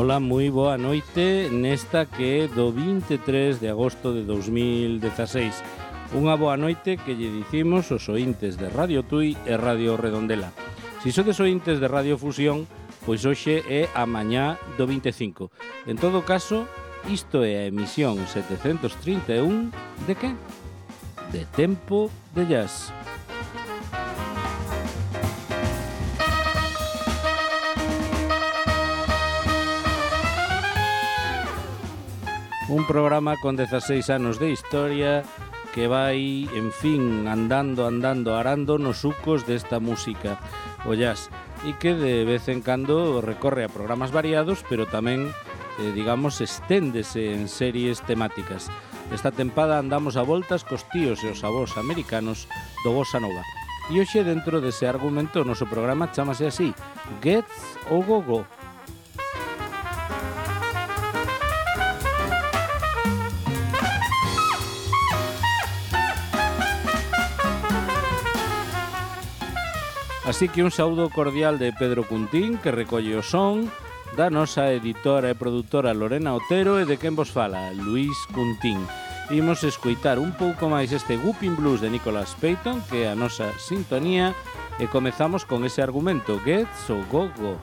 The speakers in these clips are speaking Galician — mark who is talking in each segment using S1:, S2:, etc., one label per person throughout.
S1: Ola, moi boa noite nesta que é do 23 de agosto de 2016. Unha boa noite que lle dicimos os ointes de Radio Tui e Radio Redondela. Si sodes ointes de Radio Fusión, pois hoxe é a mañá do 25. En todo caso, isto é a emisión 731 de que? De Tempo de Jazz. Un programa con 16 anos de historia que vai, en fin, andando, arando nos sucos desta música, o jazz, e que de vez en cando recorre a programas variados, pero tamén, digamos, esténdese en series temáticas. Esta tempada andamos a voltas cos tíos e os avós americanos do Bossa Nova. E hoxe, dentro dese argumento, o noso programa chamase así, Gets o Go-Go. Así que un saúdo cordial de Pedro Cuntín, que recolle o son, da nosa editora e produtora Lorena Otero e de quen vos fala, Luís Cuntín. Imos escoitar un pouco máis este Whooping Blues de Nicholas Payton, que é a nosa sintonía, e comezamos con ese argumento, Gets o Go-Go.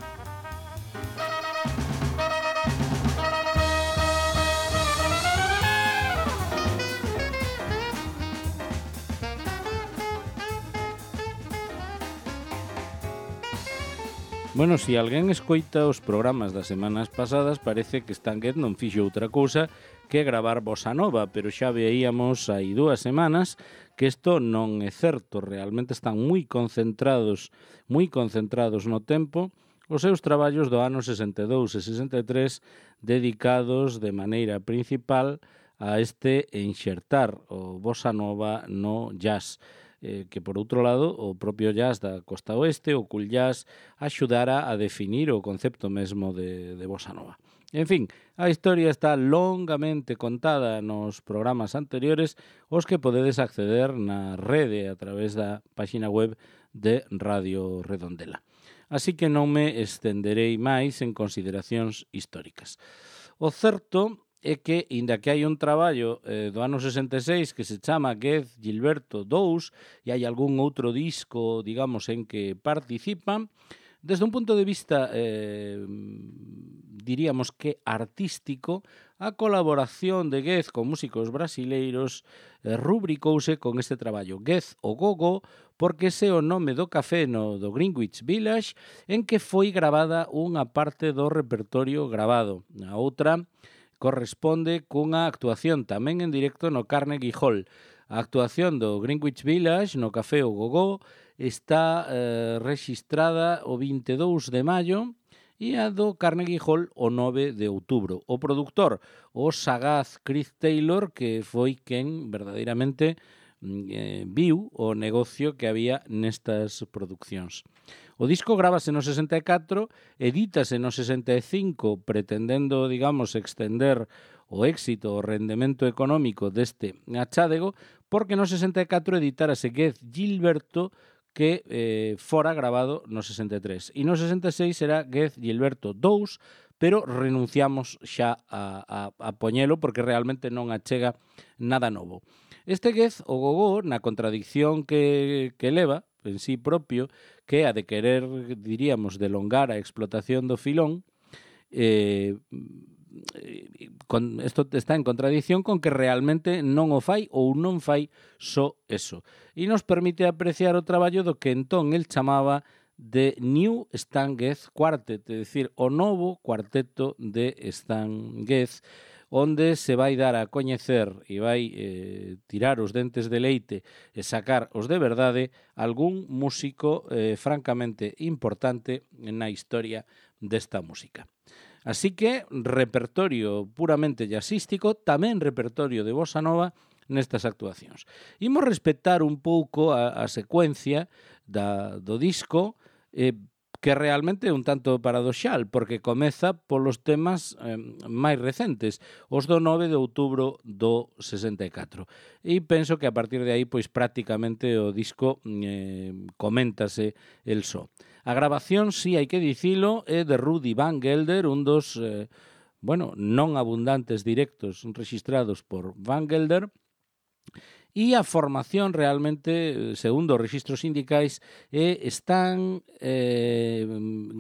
S1: Bueno, se alguén escoita os programas das semanas pasadas, parece que Stan Getz non fixo outra cousa que gravar Bossa Nova, pero xa veíamos hai 2 semanas que isto non é certo, realmente están moi concentrados no tempo os seus traballos do ano 62 e 63 dedicados de maneira principal a este enxertar o Bossa Nova no jazz. Que por outro lado o propio jazz da costa oeste, o cool jazz, axudara a definir o concepto mesmo de Bossa Nova. En fin, a historia está longamente contada nos programas anteriores, os que podedes acceder na rede a través da páxina web de Radio Redondela. Así que non me estenderei máis en consideracións históricas. O certo é que, inda que hai un traballo do ano 66 que se chama Getz Gilberto 2 e hai algún outro disco, digamos, en que participan, desde un punto de vista, diríamos que artístico, a colaboración de Getz con músicos brasileiros rubricouse con este traballo, Getz o Go-Go, porque ese é o nome do café no do Greenwich Village en que foi gravada unha parte do repertorio grabado. A outra corresponde cunha actuación tamén en directo no Carnegie Hall. A actuación do Greenwich Village no Café o Go-Go está rexistrada o 22 de maio e a do Carnegie Hall o 9 de outubro. O produtor, o sagaz Chris Taylor, que foi quen verdadeiramente viu o negocio que había nestas produccións. O disco grábase no 64, edítase no 65, pretendendo, digamos, extender o éxito, o rendemento económico deste achádego, porque no 64 editárase Getz Gilberto, que fora grabado no 63. E no 66 será Getz Gilberto 2, pero renunciamos xa a poñelo porque realmente non achega nada novo. Este Getz o Go-Go, na contradicción que leva en sí propio, que é a de querer, diríamos, delongar a explotación do filón, isto está en contradicción con que realmente non o fai ou non fai só eso. E nos permite apreciar o traballo do que entón el chamaba de New Stan Getz Quartet, é dicir, o novo cuarteto de Stan Getz, onde se vai dar a coñecer e vai tirar os dentes de leite e sacar os de verdade algún músico francamente importante na historia desta música. Así que repertorio puramente jazzístico, tamén repertorio de Bossa Nova nestas actuacións. Imos respetar un pouco a secuencia do disco, que que realmente é un tanto paradoxal, porque comeza polos temas máis recentes, os do 9 de outubro do 64. E penso que a partir de aí, pois prácticamente o disco coméntase el só. A grabación, si hai que dicilo, é de Rudy Van Gelder, un dos non abundantes directos registrados por Van Gelder, e a formación realmente, segundo os registros sindicais, é Stan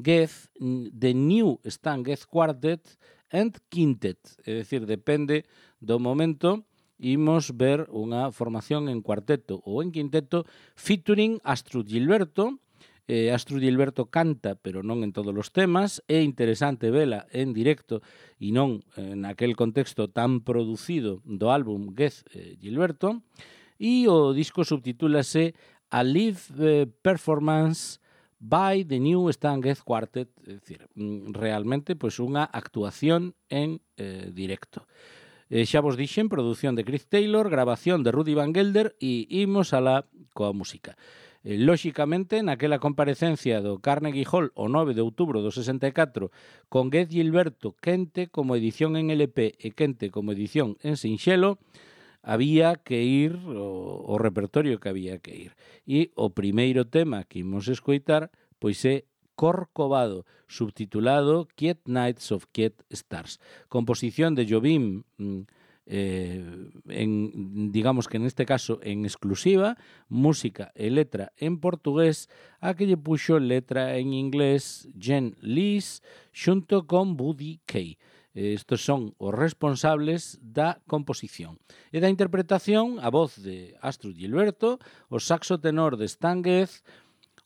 S1: Getz, The New Stan Getz Quartet and Quintet, é dicir, depende do momento, imos ver unha formación en cuarteto ou en quinteto featuring Astrud Gilberto. Astrud Gilberto canta, pero non en todos os temas. É interesante vela en directo e non naquel contexto tan producido do álbum Getz Gilberto. E o disco subtitúlase A Live Performance by the New Stan Getz Quartet, é dicir, realmente pois unha actuación en directo. Xa vos dixen, produción de Chris Taylor, grabación de Rudy Van Gelder e imos alá coa música. Lóxicamente, naquela comparecencia do Carnegie Hall o 9 de outubro do 64 con Getz Gilberto quente como edición en LP e quente como edición en sinxelo, había que ir o repertorio que había que ir. E o primeiro tema que imos escoitar pois é Corcovado, subtitulado Quiet Nights of Quiet Stars. Composición de Jobim, digamos que neste caso en exclusiva, música e letra en portugués, a que lle puxo letra en inglés Jen Lees xunto con Buddy Kay. Estos son os responsables da composición. E da interpretación, a voz de Astrud Gilberto, o saxo tenor de Stan Getz,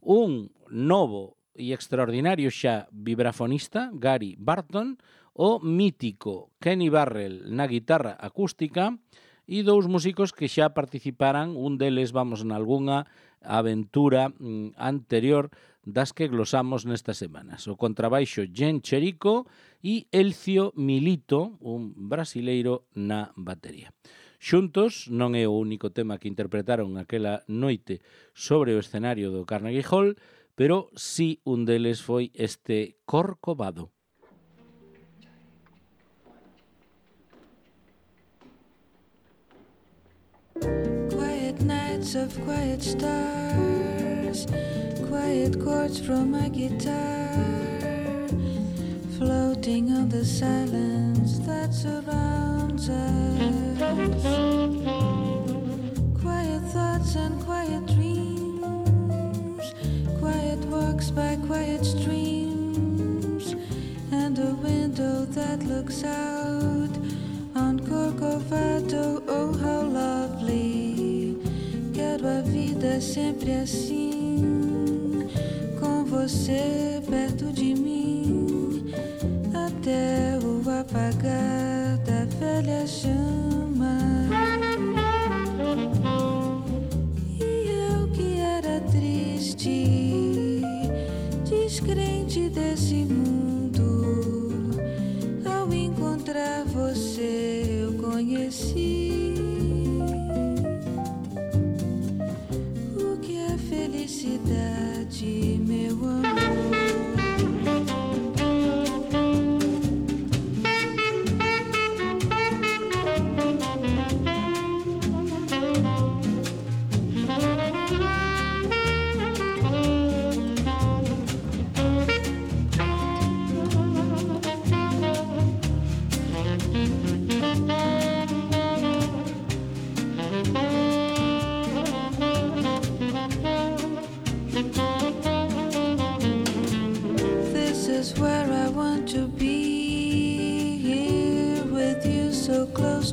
S1: un novo e extraordinario xa vibrafonista, Gary Barton, o mítico Kenny Barrell na guitarra acústica e dous músicos que xa participaran, un deles vamos nalgúnha aventura anterior das que glosamos nestas semanas. O contrabaixo Jen Cherico e Elcio Milito, un brasileiro na batería. Xuntos, non é o único tema que interpretaron aquela noite sobre o escenario do Carnegie Hall, pero sí un deles foi este Corcovado.
S2: Quiet nights of quiet stars, quiet chords from my guitar, floating on the silence that surrounds us. Quiet thoughts and quiet dreams, quiet walks by quiet streams, and a window that looks out on Corcovado. Oh, how lovely. Quero a vida sempre assim, com você perto de mim, até o apagar da velha chama. E eu que era triste, descrente desse mundo, ao encontrar você eu conheci o que é felicidade, meu amor.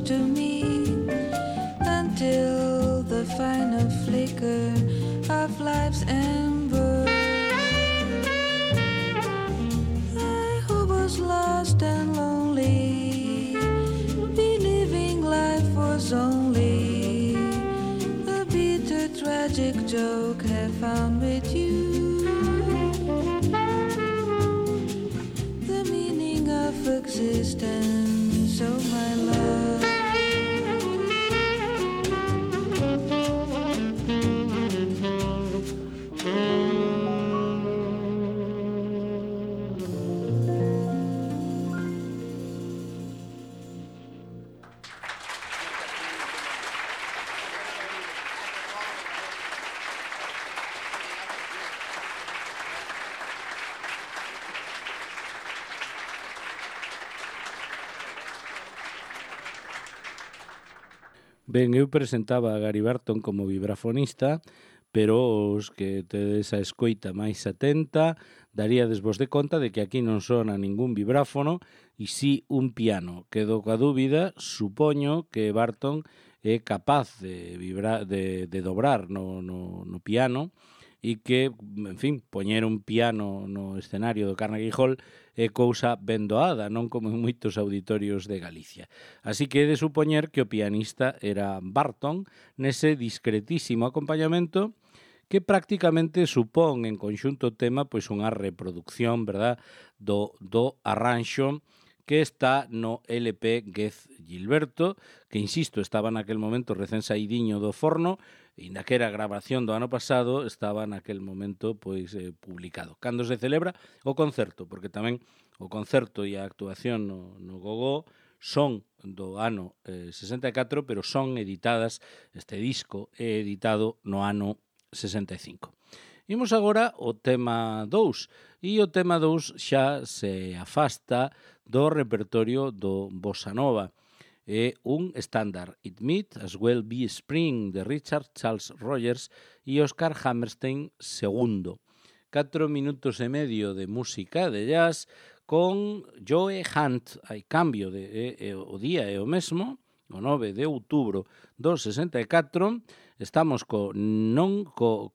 S2: To me until the final flicker of life's ember. I who was lost and lonely, believing life was only a bitter tragic joke, have found with you the meaning of existence, oh my love.
S1: Ben, eu presentaba a Gary Barton como vibrafonista, pero os que tedes a escoita máis atenta daríades vos de conta de que aquí non sona ningún vibráfono e si un piano. Quedo coa dúbida, supoño que Barton é capaz de dobrar no piano e que, en fin, poñer un piano no escenario do Carnegie Hall é cousa ben doada, non como en moitos auditorios de Galicia. Así que he de supoñer que o pianista era Barton nese discretísimo acompañamento que prácticamente supón en conxunto tema pois unha reproducción, verdad, do arranxo que está no LP Gez Gilberto, que, insisto, estaba naquel momento recén saídiño do forno, e na que era a grabación do ano pasado, estaba naquel momento pois publicado. Cando se celebra o concerto, porque tamén o concerto e a actuación no Gogó son do ano 64, pero son editadas, este disco é editado no ano 65. Imos agora ao tema 2, e o tema 2 xa se afasta do repertorio do Bossa Nova. É un estándar, It Might As Well Be Spring, de Richard Charles Rogers e Oscar Hammerstein II. 4 minutos e medio de música de jazz con Joe Hunt. Hai cambio, o día é o mesmo, o 9 de outubro do 64, estamos non co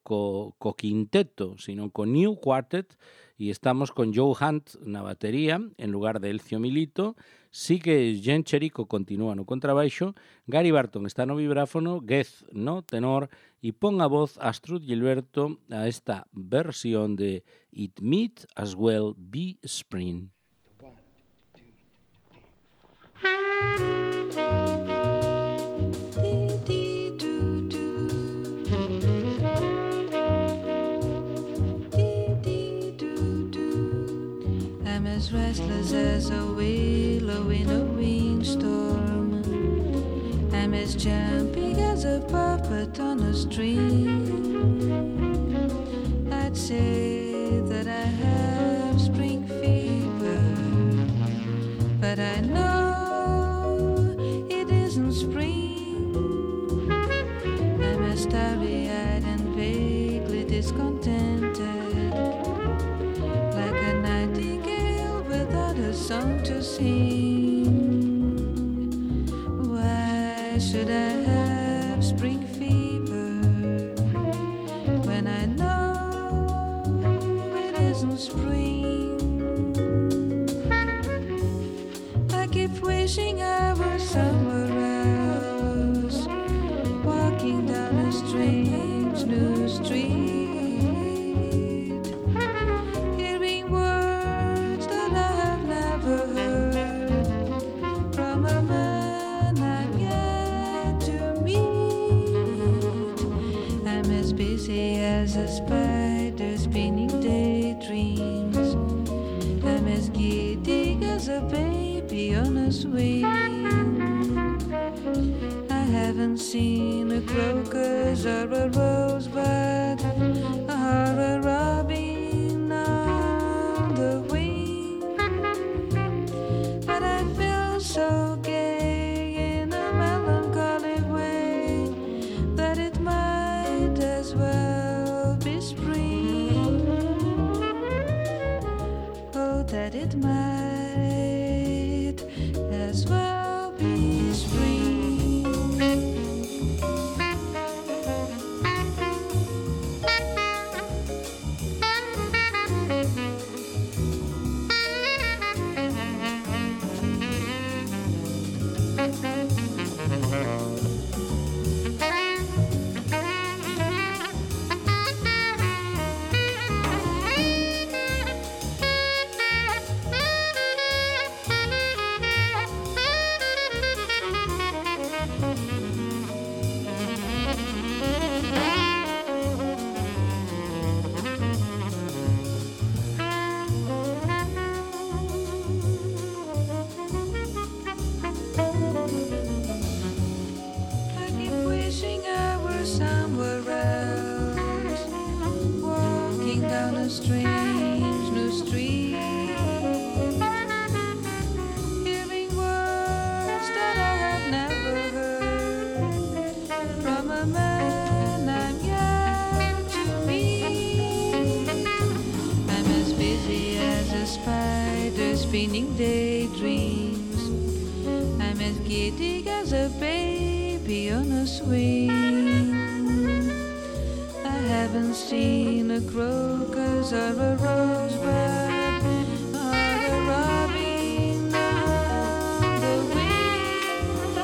S1: quinteto, sino co New Quartet, e estamos con Joe Hunt na batería, en lugar de Elcio Milito, sí que Jen Cherico continúa no contrabaixo, Gary Barton está no vibráfono, Gez no tenor, e pon a voz Astrud Gilberto a esta versión de It Might As Well Be Spring.
S2: 1, 2, 3. I'm as restless as a willow in a windstorm. I'm as jumpy as a puppet on a string. I'd say that I have spring fever, but I know it isn't spring. I'm as starry-eyed and vaguely discontented, like a nightingale without a song to sing. Why should I have spring fever when I know it isn't spring? I keep wishing I were somewhere else, walking down a strange new street, hearing words that I have never heard from a man I've yet to meet. I'm as busy as a spider spinning daydreams. I'm as giddy as a baby on a swing. I haven't seen a crocus or a rosebud or a robin on the wing, but I feel so gay in a melancholy way that it might as well be spring. Oh, that it might as well be spring. I keep wishing I were somewhere else, walking down a strange new street, hearing words that I have never heard spinning daydreams. I'm as giddy as a baby on a swing. I haven't seen a crocus or a rosebud or a robin on the wing,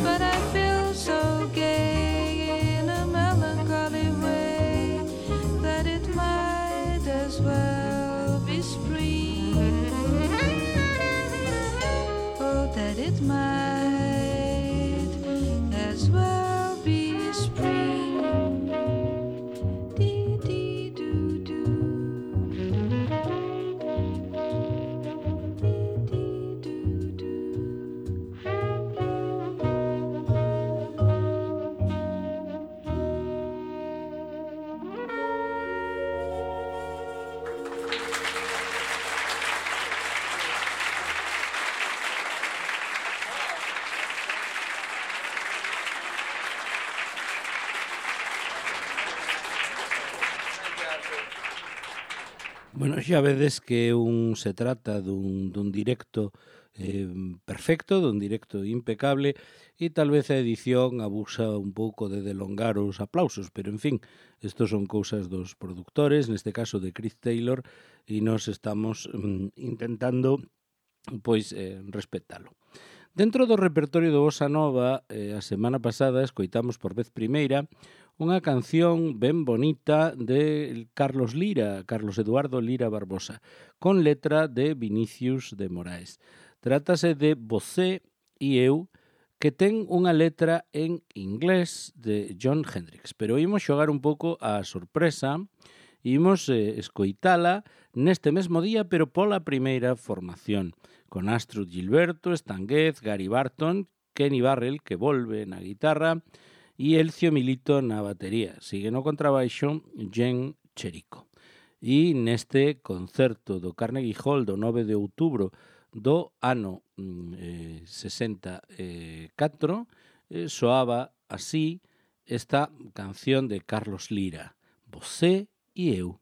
S2: but I feel so gay in a melancholy way that it might as well be spring. Oh, that it might as well be spring.
S1: Bueno, xa vedes que se trata dun directo perfecto, dun directo impecable, e tal vez a edición abusa un pouco de delongar os aplausos, pero en fin, estos son cousas dos productores, neste caso de Chris Taylor, e nos estamos intentando respetalo. Dentro do repertorio do Bossa Nova, a semana pasada escoitamos por vez primeira unha canción ben bonita de Carlos Eduardo Lira Barbosa, con letra de Vinicius de Moraes. Trátase de Você e eu, que ten unha letra en inglés de Jon Hendricks, pero imos xogar un pouco a sorpresa, imos escoitala neste mesmo día, pero pola primeira formación, con Astrud Gilberto, Stan Getz, Gary Barton, Kenny Barrell, que volve na guitarra, e Elcio Milito na batería. Sigue no contrabaixo Jen Cherico. E neste concerto do Carnegie Hall do 9 de outubro do ano 64 soaba así esta canción de Carlos Lira, Você e eu.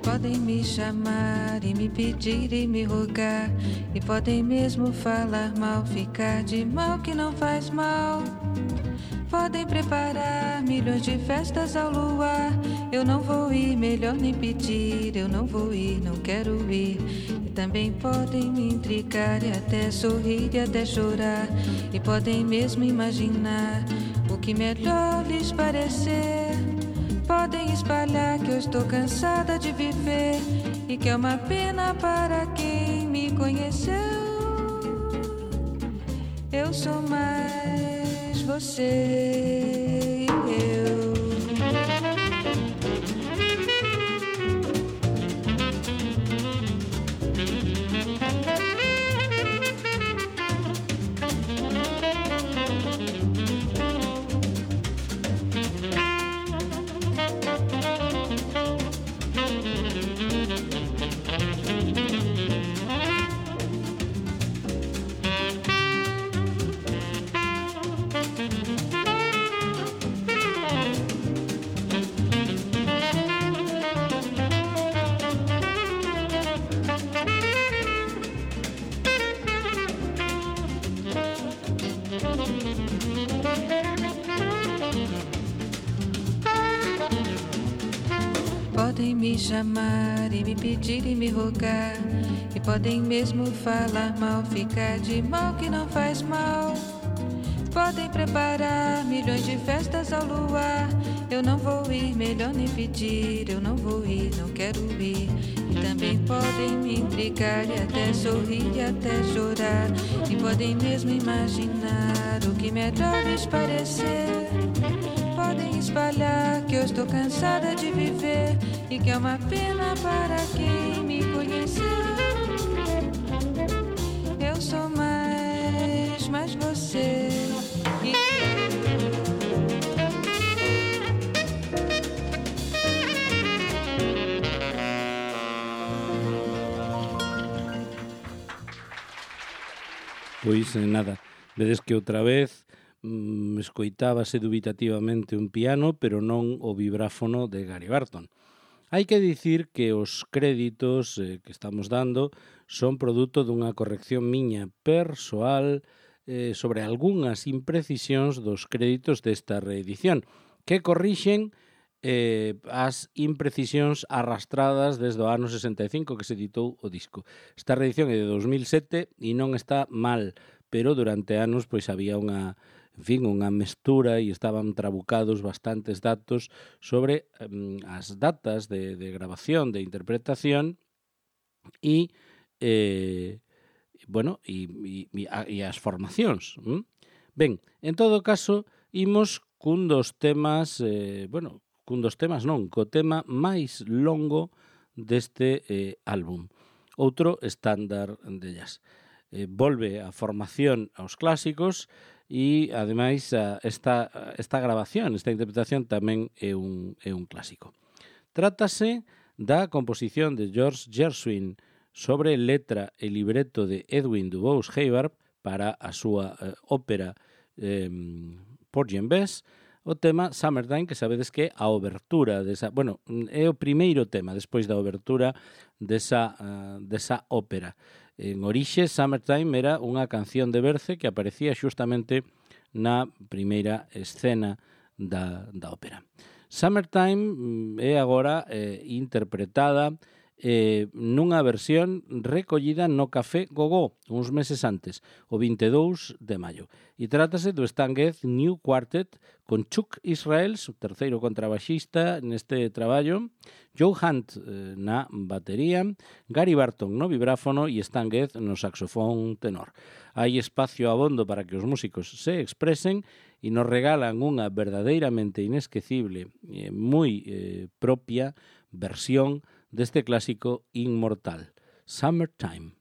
S2: Podem me chamar e me pedir e me rogar, e podem mesmo falar mal, ficar de mal que não faz mal. Podem preparar milhões de festas ao luar, eu não vou ir, melhor nem pedir, eu não vou ir, não quero ir. E também podem me intrigar e até sorrir e até chorar, e podem mesmo imaginar o que melhor lhes parecer. Podem espalhar que eu estou cansada de viver e que é uma pena para quem me conheceu. Eu sou mais você e eu. Podem me chamar e me pedir e me rogar, e podem mesmo falar mal, ficar de mal que não faz mal. Podem preparar milhões de festas ao luar, eu não vou ir, melhor nem pedir, eu não vou ir, não quero ir. E também podem me intrigar e até sorrir e até chorar, e podem mesmo imaginar o que melhor lhes parecer. Podem espalhar que eu estou cansada de viver e que é uma pena para quem me conheceu. Eu sou mais você e
S1: Pois nada, vedes que outra vez escoitábase dubitativamente un piano, pero non o vibráfono de Gary Barton. Hai que dicir que os créditos que estamos dando son produto dunha corrección miña persoal sobre algunhas imprecisións dos créditos desta reedición, que corrixen as imprecisións arrastradas desde o ano 65 que se editou o disco. Esta reedición é de 2007 e non está mal, pero durante anos pois había unha mestura e estaban trabucados bastantes datos sobre as datas de grabación, de interpretación e as formacións. Ben, en todo caso, imos co tema máis longo deste álbum. Outro estándar de jazz. Volve a formación aos clásicos e, ademais, esta grabación, esta interpretación tamén é un clásico. Trátase da composición de George Gershwin sobre letra e libreto de Edwin Dubose Hubbard para a súa ópera Porgy and Bess, o tema Summertime, que sabedes que é a obertura desa, é o primeiro tema despois da obertura desa ópera. En orixe, Summertime era unha canción de Berce que aparecía xustamente na primeira escena da ópera. Summertime é agora interpretada nunha versión recollida no Café Gogó uns meses antes, o 22 de maio. E trátase do Stan Getz New Quartet con Chuck Israels, o terceiro contrabaxista neste traballo, Joe Hunt na batería, Gary Barton no vibráfono e Stan Getz no saxofón tenor. Hai espacio abondo para que os músicos se expresen e nos regalan unha verdadeiramente inesquecible e moi propia versión deste clásico inmortal, Summertime.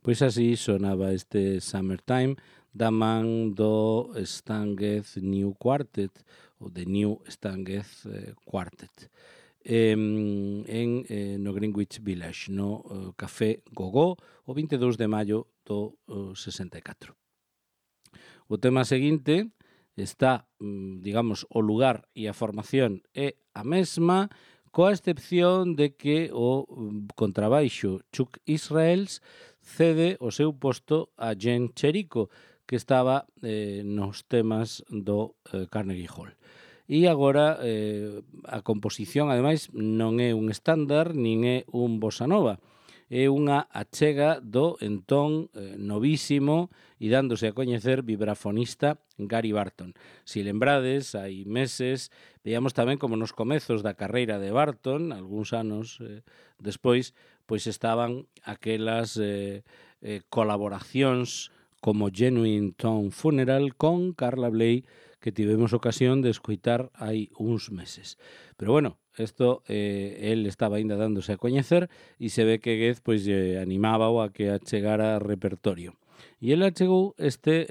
S1: Pois así sonaba este Summertime da man do Stanguez New Quartet, ou de New Stanguez Quartet, no Greenwich Village, no Café Gogó, o 22 de maio do 64. O tema seguinte está, digamos, o lugar e a formación é a mesma, coa excepción de que o contrabaixo Chuck Israels cede o seu posto a Jen Cherico, que estaba nos temas do Carnegie Hall. E agora a composición, ademais, non é un estándar, nin é un bossa nova, é unha achega do entón novísimo e dándose a coñecer vibrafonista Gary Barton. Si lembrades, hai meses, veíamos tamén como nos comezos da carreira de Barton, algúns anos despois, pois estaban aquelas colaboracións como Genuine Tone Funeral con Carla Bley, que tivemos ocasión de escoitar hai uns meses. Pero bueno, isto el estaba ainda dándose a coñecer e se ve que Gez pois animaba a que achegara repertorio. E ele achegou este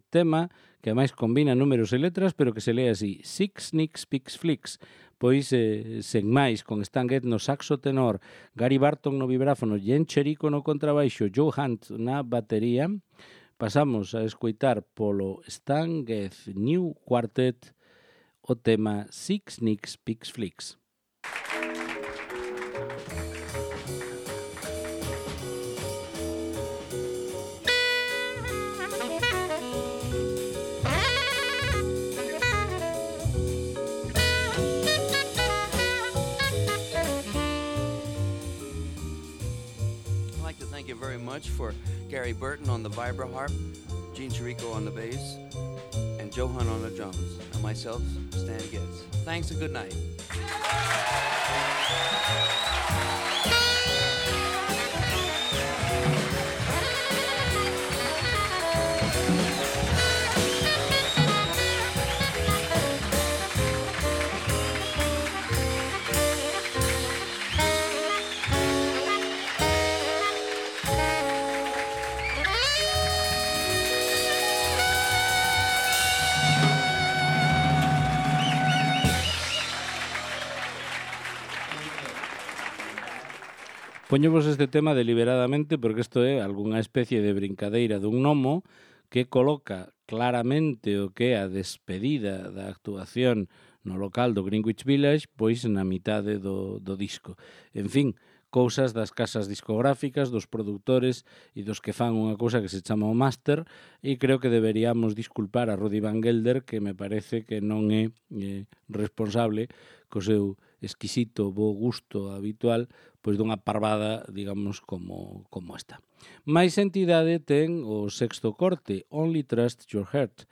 S1: tema que ademais combina números e letras, pero que se lee así: Six Nicks Picks Flicks, Pois, sen máis, con Stan Getz no saxo tenor, Gary Barton no vibráfono, Jen Cherico no contrabaixo, Joe Hunt na batería, pasamos a escoitar polo Stan Getz New Quartet o tema Six Nicks Pix Flicks.
S3: Thank you very much for Gary Burton on the vibraharp, Gene Chirico on the bass, and Joe Hunt on the drums, and myself, Stan Getz. Thanks and good night.
S1: Poñevos este tema deliberadamente porque isto é algunha especie de brincadeira dun gnomo que coloca claramente o que é a despedida da actuación no local do Greenwich Village, pois na mitade do disco. En fin, cousas das casas discográficas, dos produtores e dos que fan unha cousa que se chama o máster, e creo que deberíamos disculpar a Rudy Van Gelder, que me parece que non é responsable co seu exquisito bo gusto habitual, pois dunha parvada, digamos, como esta. Mais entidade ten o sexto corte, Only Trust Your Heart,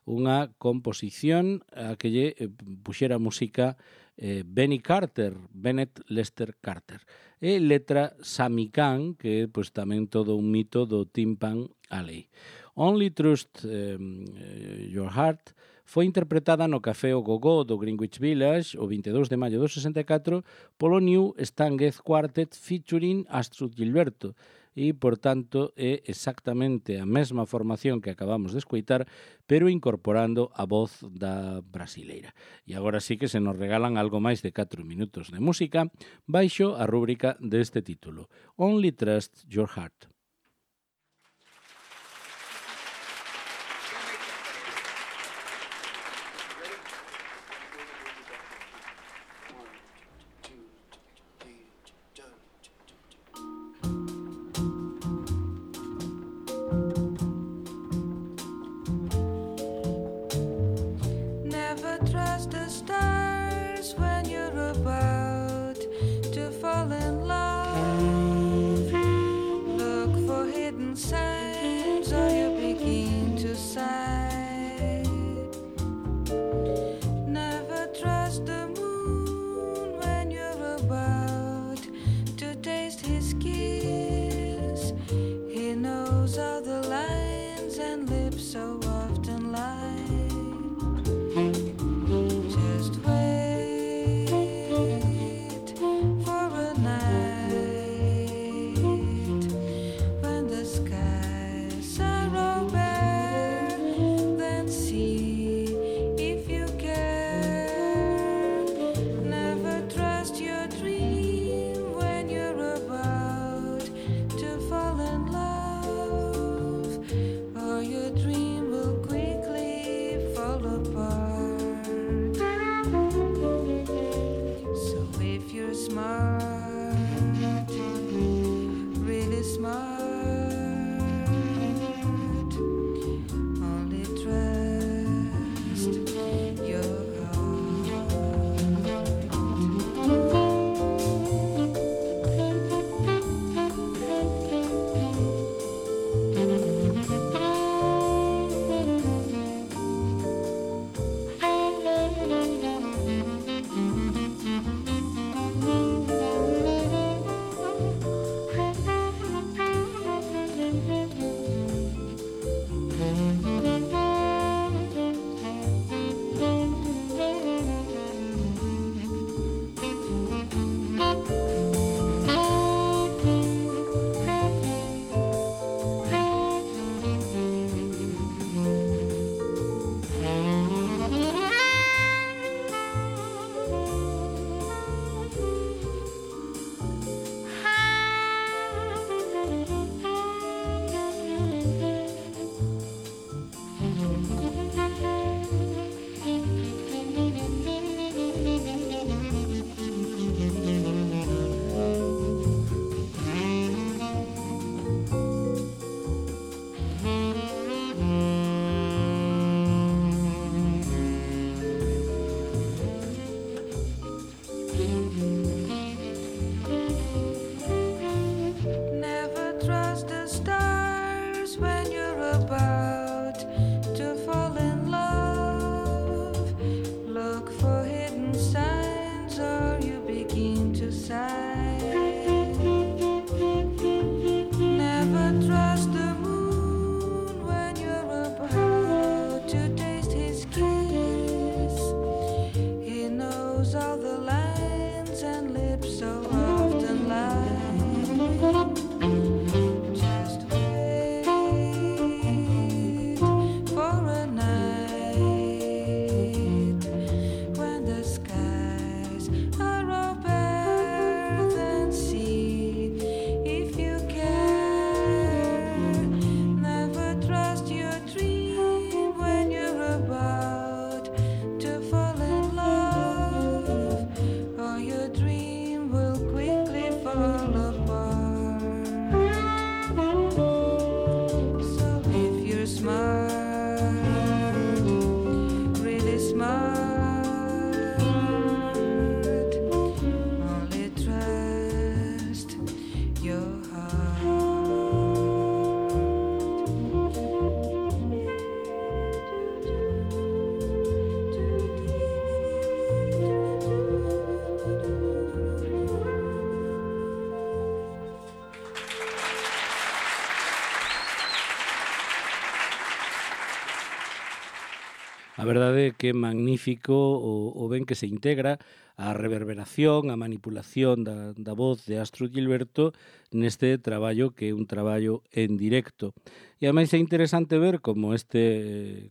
S1: unha composición a que lle puxera música Bennett Lester Carter, e letra Sammy Cahn, que é pois tamén todo un mito do Tin Pan Alley. Only Trust Your Heart foi interpretada no Café O Gogó do Greenwich Village o 22 de maio do 64 polo New Stan Getz Quartet featuring Astrud Gilberto, e, por tanto, é exactamente a mesma formación que acabamos de escoitar, pero incorporando a voz da brasileira. E agora sí que se nos regalan algo máis de 4 minutos de música baixo a rúbrica deste título, Only Trust Your Heart.
S2: Look trust the stars when you're about to fall in love. Look for hidden signs or you begin to sigh. Never trust the moon when you're about to taste his kiss. He knows all the lines and lips so often lie. Just wait for a night when the skies are all bare, then see if you care. Never trust your dream when you're about to fall in love, or your dream will quickly fall apart. So if you're smart, really smart, only trust your
S1: A verdade é que é magnífico o ben que se integra a reverberación, a manipulación da voz de Astrud Gilberto neste traballo que é un traballo en directo. E ademais é interesante ver como este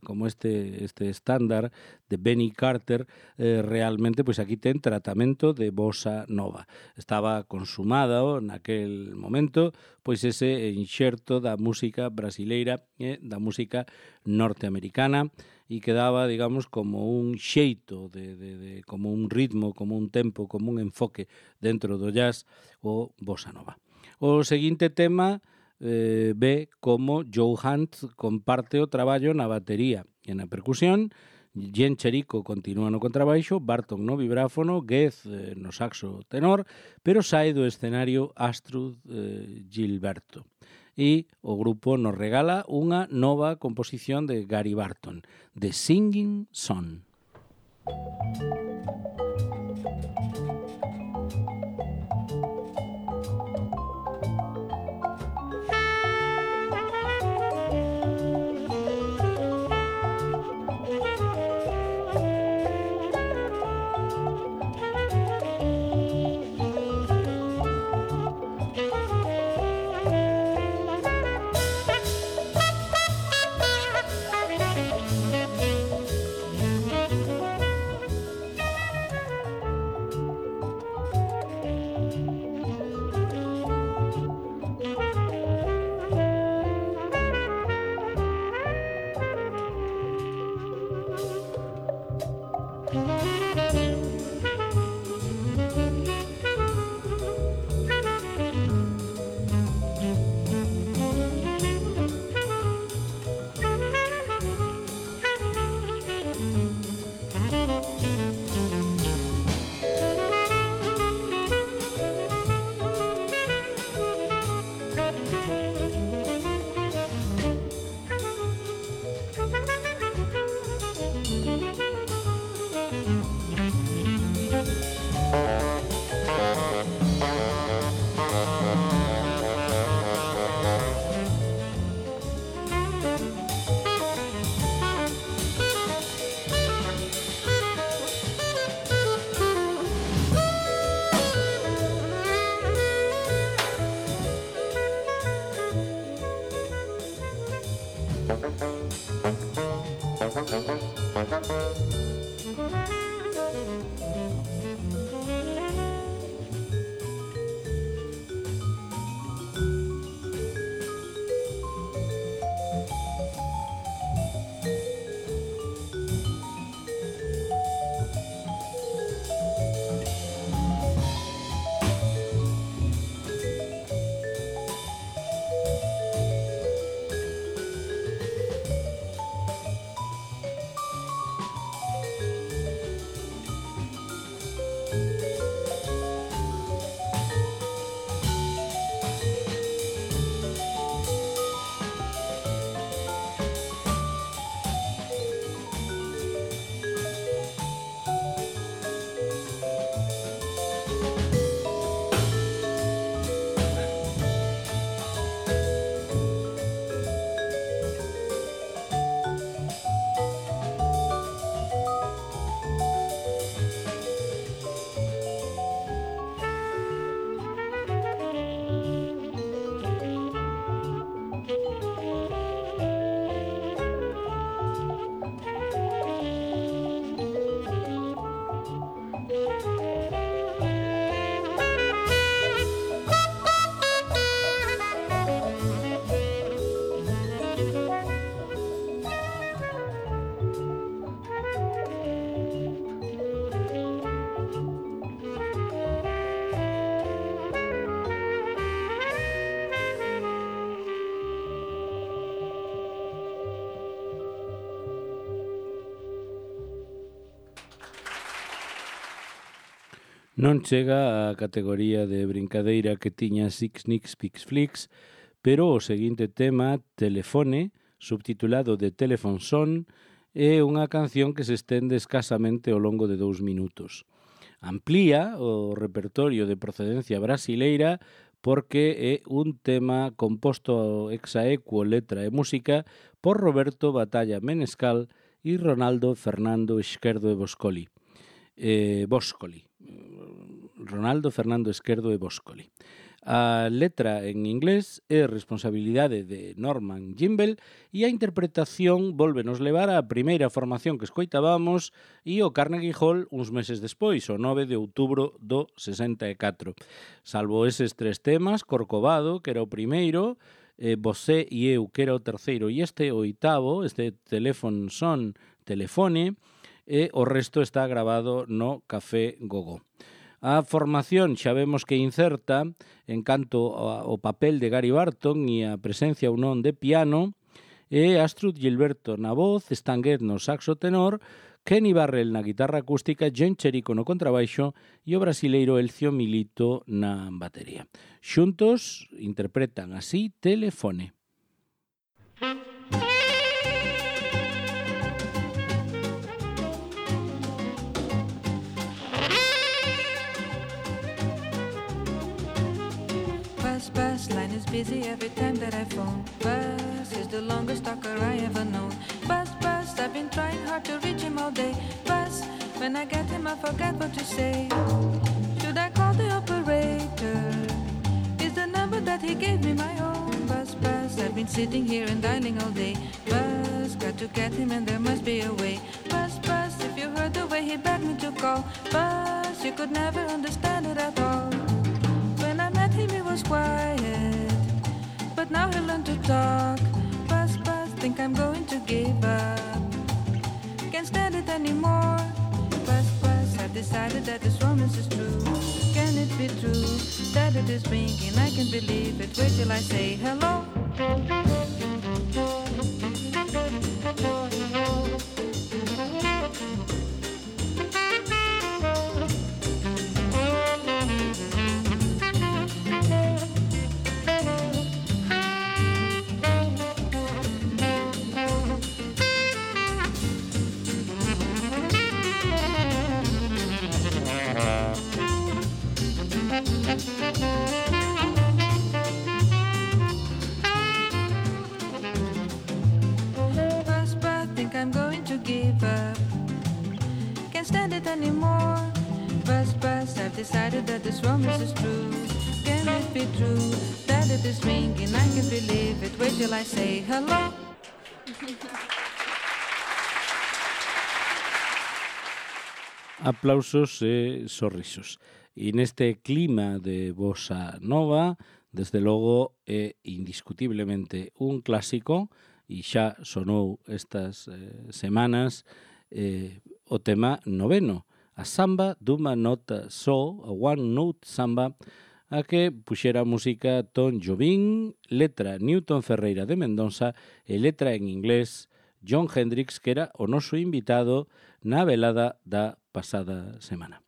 S1: estándar de Benny Carter realmente pois aquí ten tratamento de bossa nova. Estaba consumada naquel momento pois ese enxerto da música brasileira e da música norteamericana e que daba, digamos, como un xeito, como un ritmo, como un tempo, como un enfoque dentro do jazz o bossa nova. O seguinte tema ve como Joe Hunt comparte o traballo na batería e na percusión, Jen Cherico continúa no contrabaixo, Barton no vibráfono, Geth no saxo tenor, pero sae do escenario Astrud Gilberto. E o grupo nos regala unha nova composición de Gary Barton, The Singing Son. Non chega á categoría de brincadeira que tiña Six Nicks Pix Flix, pero o seguinte tema, Telefone, subtitulado de Telephone Son, é unha canción que se estende escasamente ao longo de 2 minutos. Amplía o repertorio de procedencia brasileira porque é un tema composto ex aequo, letra e música por Roberto Batalla Menescal e Ronaldo Fernando Esquerdo e Boscoli. Ronaldo Fernando Esquerdo e Boscoli. A letra en inglés é responsabilidade de Norman Gimbel e a interpretación volvenos levar á primeira formación que escoitábamos e o Carnegie Hall uns meses despois, o 9 de outubro do 64. Salvo eses 3 temas, Corcovado, que era o primeiro, Você e eu, que era o terceiro, e este oitavo, este Telephone Son, Telefone, e o resto está grabado no Café Gogó. A formación xa vemos que incerta en canto ao papel de Gary Barton e a presencia ou non de piano, e Astrud Gilberto na voz, Stan Getz no saxo tenor, Kenny Barrell na guitarra acústica, John Cherico no contrabaixo e o brasileiro Elcio Milito na batería. Xuntos interpretan así Telefone.
S2: Bus, line is busy every time that I phone. Bus is the longest talker I ever known. Bus, I've been trying hard to reach him all day. Bus, when I get him I forget what to say. Should I call the operator? Is the number that he gave me my own? Bus, I've been sitting here and dialing all day. Bus, got to get him and there must be a way. Bus, if you heard the way he begged me to call. Bus, you could never understand it at all. When I met him he was quiet, but now he learned to talk. Bus, think I'm going to give up. Can't stand it anymore. Bus, I've decided that this romance is true. Can it be true that it is ringing? I can't believe it. Wait till I say hello. Think I'm going to give up. Can't stand it anymore. Bus, I've decided that this romance is true. Can it be true that it is ringing? I can't believe it. Wait till I say hello.
S1: Aplausos e sorrisos. E neste clima de bossa nova, desde logo é indiscutiblemente un clásico, e xa sonou estas semanas o tema noveno, a samba dunha nota só, a one note samba, a que puxera música Tom Jobim, letra Newton Ferreira de Mendonça e letra en inglés John Hendricks, que era o noso invitado na velada da pasada semana.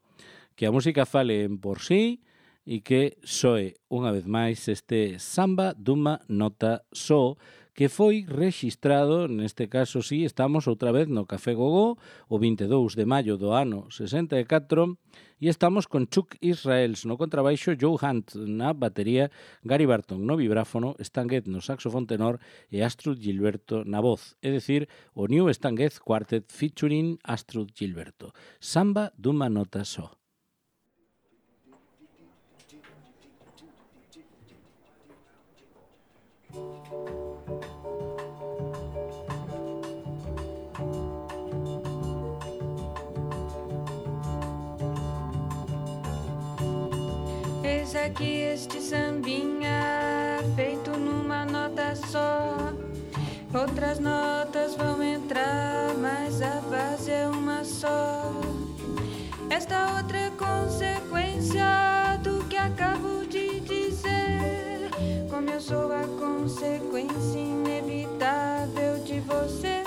S1: Que a música fale en por sí e que soe unha vez máis este samba dunha nota só, que foi rexistrado, neste caso sí, estamos outra vez no Café Gogó, o 22 de maio do ano 64, e estamos con Chuck Israels no contrabaixo, Joe Hunt na batería, Gary Barton no vibráfono, Stan Getz no saxofón tenor e Astrud Gilberto na voz, é dicir, o New Stan Getz Quartet featuring Astrud Gilberto. Samba dunha nota só.
S2: Eis aqui este sambinha feito numa nota só. Outras notas vão entrar, mas a base é uma só. Esta outra é consequência do que acabo de dizer. Como eu sou a consequência inevitável de você.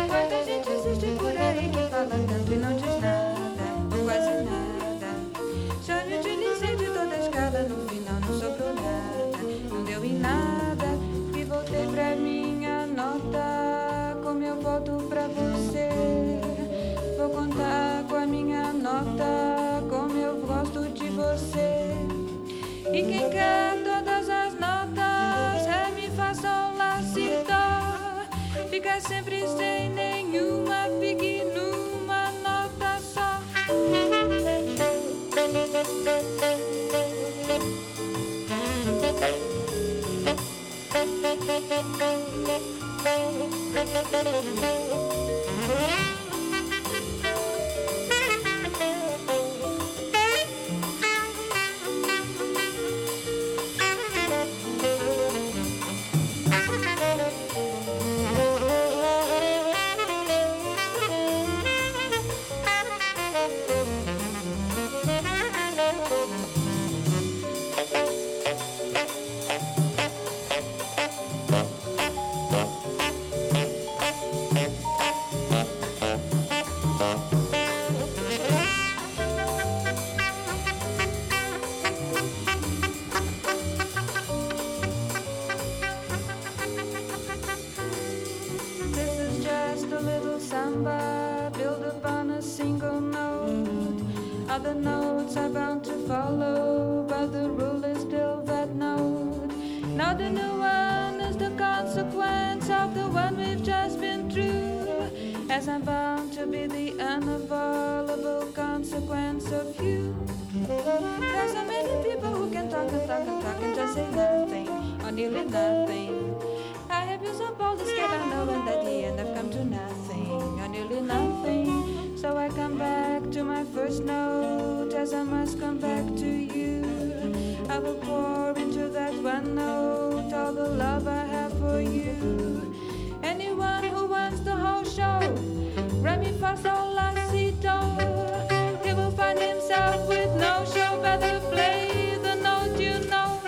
S2: Quanta gente existe por aí que fala tanto e não diz nada, quase nada. fica sempre sem nenhuma, fique numa nota só. Other notes are bound to follow, but the rule is still that note. Now the new one is the consequence of the one we've just been through, as I'm bound to be the unavoidable consequence of you. There's so many people who can talk and talk and talk and just say nothing, or nearly nothing. I have been so bold to skip, I know, and at the end I've come to nothing, or nearly nothing. So I come back to my first note, as I must come back to you. I will pour into that one note all the love I have for you. Anyone who wants the whole show, re mi fa sol la si do, he will find himself with no show. Better play the note you know.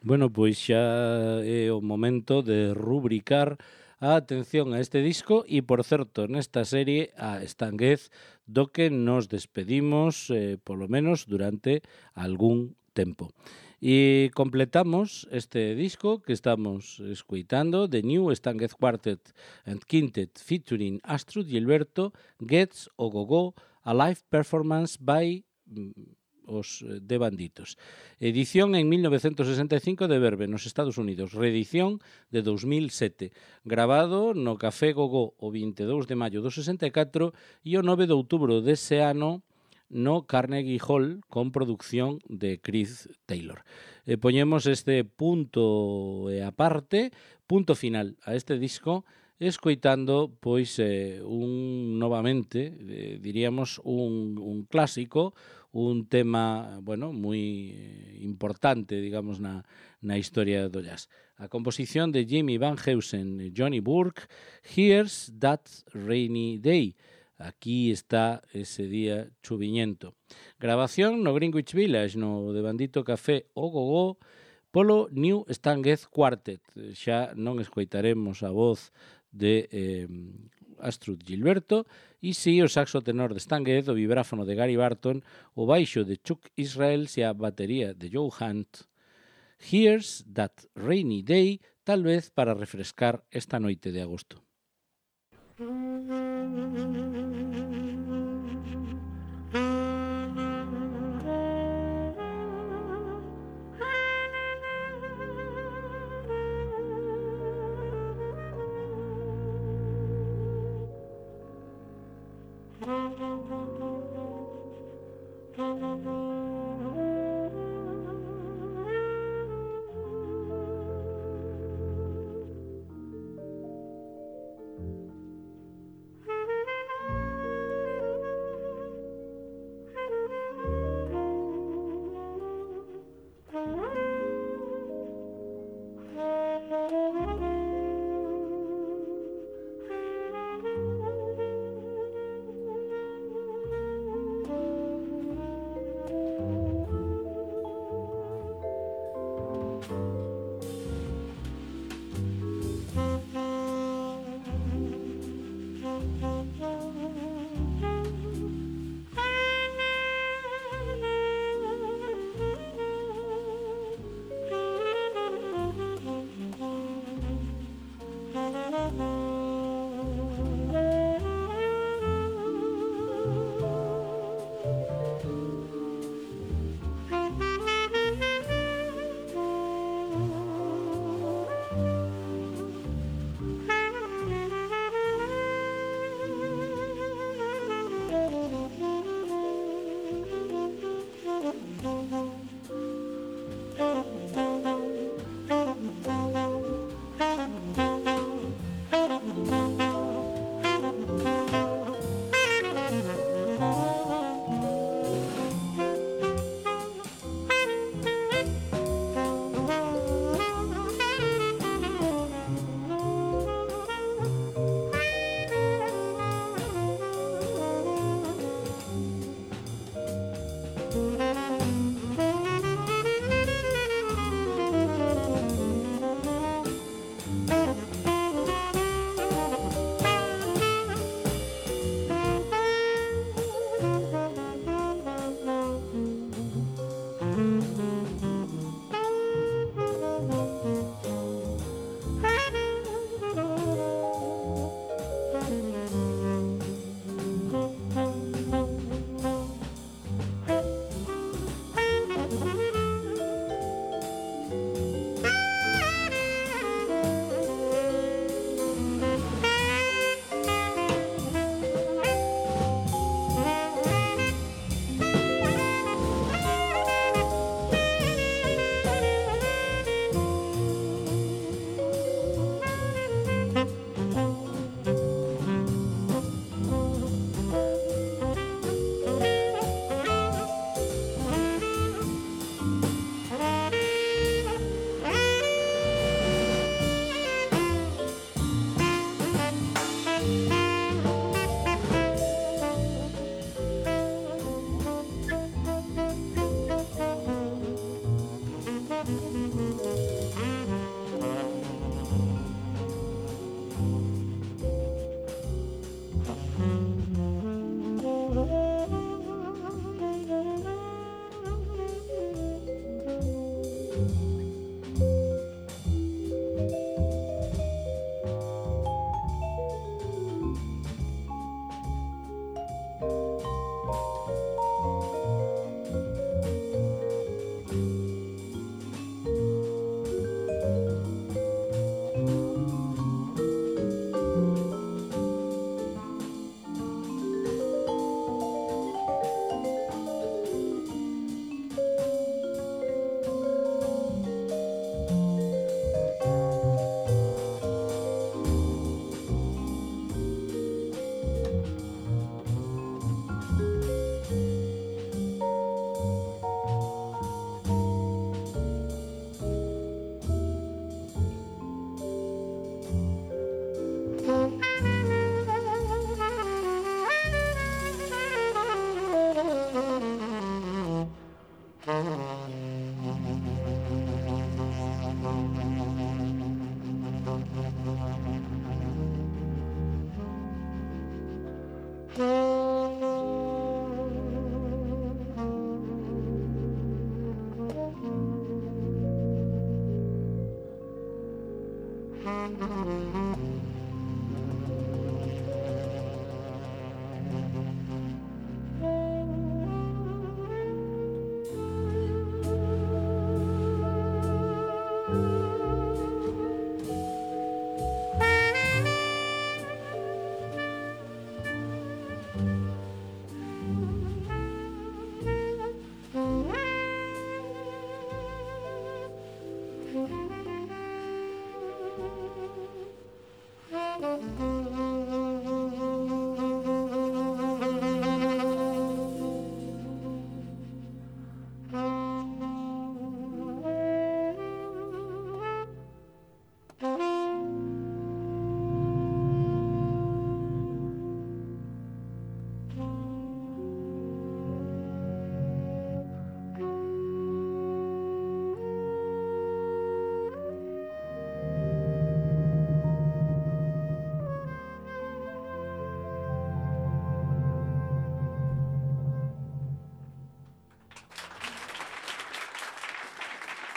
S1: Bueno, pois xa é o momento de rubricar a atención a este disco e, por certo, nesta serie a Stan Getz, do que nos despedimos, polo menos durante algún tempo. E completamos este disco que estamos escuitando, The New Stan Getz Quartet and Quintet featuring Astrud Gilberto, Getz o Go-Go, a live performance by os de Banditos. Edición en 1965 de Verve, nos Estados Unidos. Reedición de 2007. Grabado no Café Go-Go o 22 de maio do 64 e o 9 de outubro dese ano no Carnegie Hall con producción de Chris Taylor. Poñemos este punto aparte, punto final a este disco, escoitando pois novamente, diríamos un clásico, un tema, bueno, moi importante, digamos, na historia do jazz. A composición de Jimmy Van Heusen e Johnny Burke, Here's That Rainy Day. Aquí está ese día chuviñento. Grabación no Greenwich Village, no de Bandito Café o Go-Go, polo New Stan Getz Quartet. Xa non escoitaremos a voz de Astrud Gilberto, e si o saxo tenor de Stan Getz, o vibráfono de Gary Barton, o baixo de Chuck Israels e a batería de Joe Hunt. Here's That Rainy Day, tal vez para refrescar esta noite de agosto.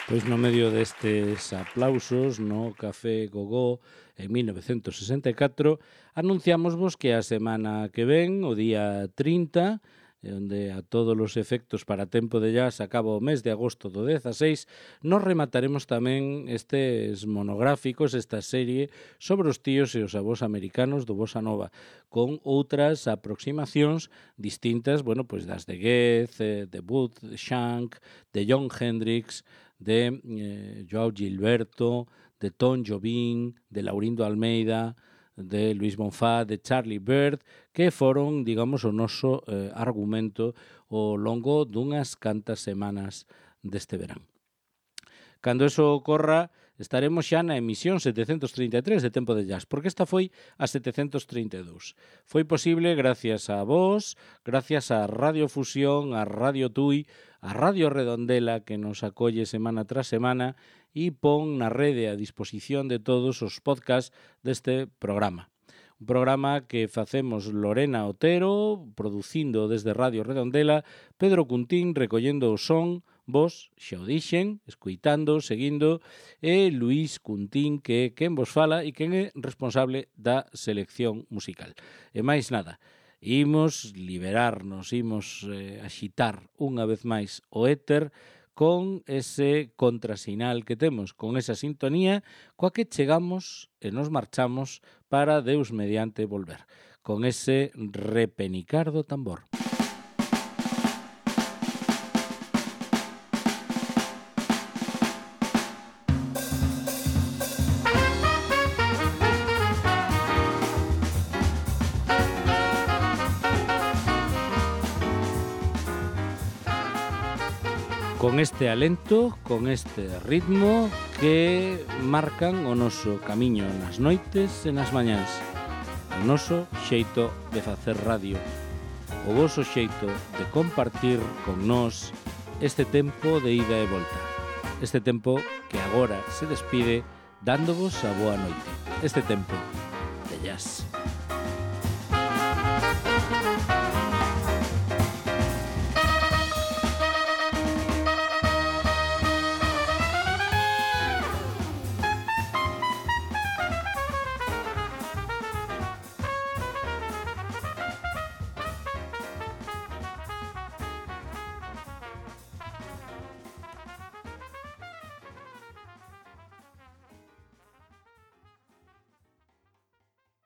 S1: Pois no medio destes aplausos no Café Gogó en 1964 anunciámosvos que a semana que ven, o día 30, onde a todos os efectos para Tempo de Jazz acaba o mes de agosto do 16, nos remataremos tamén estes monográficos, esta serie sobre os tíos e os avós americanos do Bossa Nova, con outras aproximacións distintas, bueno, pois das de Goetz, de Booth, de Shank, de Jon Hendricks, de Joao Gilberto, de Tom Jobim, de Laurindo Almeida, de Luis Bonfá, de Charlie Byrd, que foron, digamos, o noso argumento ao longo dunhas cantas semanas deste verán. Cando eso ocorra, estaremos xa na emisión 733 de Tempo de Jazz, porque esta foi a 732. Foi posible gracias a vos, gracias a Radio Fusión, a Radio Tui, a Radio Redondela, que nos acolle semana tras semana e pon na rede a disposición de todos os podcasts deste programa. Un programa que facemos Lorena Otero, producindo desde Radio Redondela, Pedro Cuntín recollendo o son, vos xa o dixen, escuitando, seguindo, e Luís Cuntín, que é quen vos fala e quen é responsable da selección musical. E máis nada, imos liberarnos, imos axitar unha vez máis o éter con ese contrasinal que temos, con esa sintonía coa que chegamos e nos marchamos para Deus mediante volver, con ese repenicar do tambor. Con este alento, con este ritmo que marcan o noso camiño nas noites e nas mañáns, o noso xeito de facer radio, o voso xeito de compartir con nós este tempo de ida e volta, este tempo que agora se despide dándovos a boa noite, este tempo